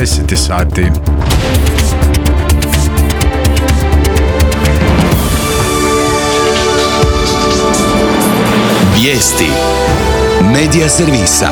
10 sati. Vijesti Medija servisa.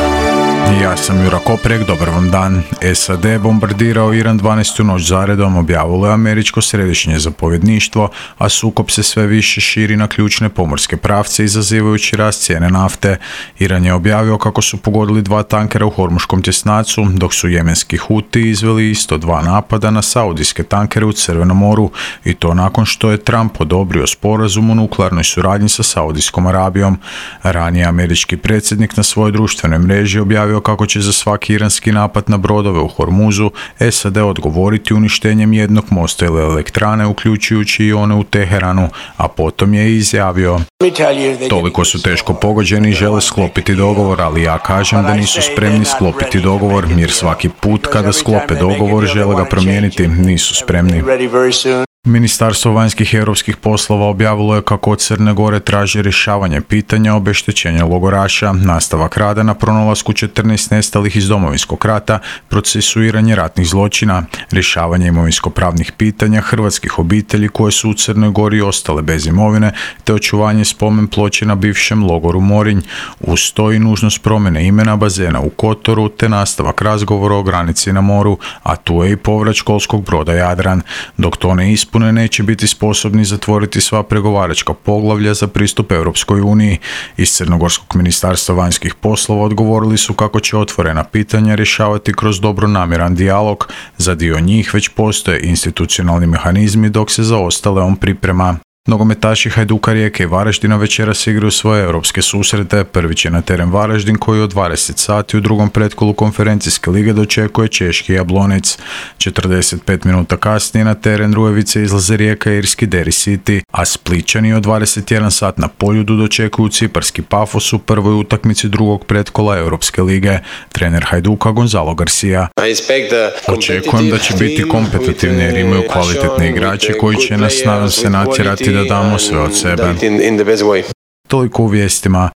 Ja sam Jura Koprek, dobar vam dan. SAD bombardirao Iran 12. noć zaredom, objavilo je američko središnje zapovjedništvo, a sukob se sve više širi na ključne pomorske pravce, izazivajući rast cijene nafte. Iran je objavio kako su pogodili 2 tankera u Hormuškom tjesnacu, dok su jemenski Huti izveli isto 2 napada na saudijske tankere u Crvenom moru, i to nakon što je Trump odobrio sporazum o nuklearnoj suradnji sa Saudijskom Arabijom. Ranije američki predsjednik na svojoj društvenoj mreži objavio kako će za svaki iranski napad na brodove u Hormuzu SAD odgovoriti uništenjem jednog mosta ili elektrane, uključujući i one u Teheranu, a potom je izjavio: toliko su teško pogođeni i žele sklopiti dogovor, ali ja kažem da nisu spremni sklopiti dogovor, jer svaki put kada sklope dogovor žele ga promijeniti, nisu spremni. Ministarstvo vanjskih i europskih poslova objavilo je kako od Crne Gore traži rješavanje pitanja obeštećenja logoraša, nastavak rada na pronalasku 14 nestalih iz Domovinskog rata, procesuiranje ratnih zločina, rješavanje imovinsko-pravnih pitanja hrvatskih obitelji koje su u Crnoj Gori ostale bez imovine, te očuvanje spomen ploče na bivšem logoru Morinj. Uz to i nužnost promjene imena bazena u Kotoru, te nastavak razgovora o granici na moru, a tu je i povrat školskog broda Jadran. Dok to ne ispune, neće biti sposobni zatvoriti sva pregovaračka poglavlja za pristup Europskoj uniji. Iz Crnogorskog ministarstva vanjskih poslova odgovorili su kako će otvorena pitanja rješavati kroz dobronamjeran dijalog. Za dio njih već postoje institucionalni mehanizmi, dok se za ostale on priprema. Nogometaši Hajduka, Rijeke i Varaždina večeras igraju svoje europske susrete. Prvi će na teren Varaždin, koji od 20 sati u drugom pretkolu konferencijske lige dočekuje češki Jablonec. 45 minuta kasnije na teren Rujevice izlaze Rijeka i irski Derry City, a Splićani od 21 sat na Poljudu dočekuju ciparski Pafos u prvoj utakmici drugog pretkola Europske lige. Trener Hajduka Gonzalo Garcia: očekujem da će biti kompetitivni jer imaju kvalitetne igrače koji će nas, nadam se, natjerati da damo sve od sebe. Toliko u vijestima.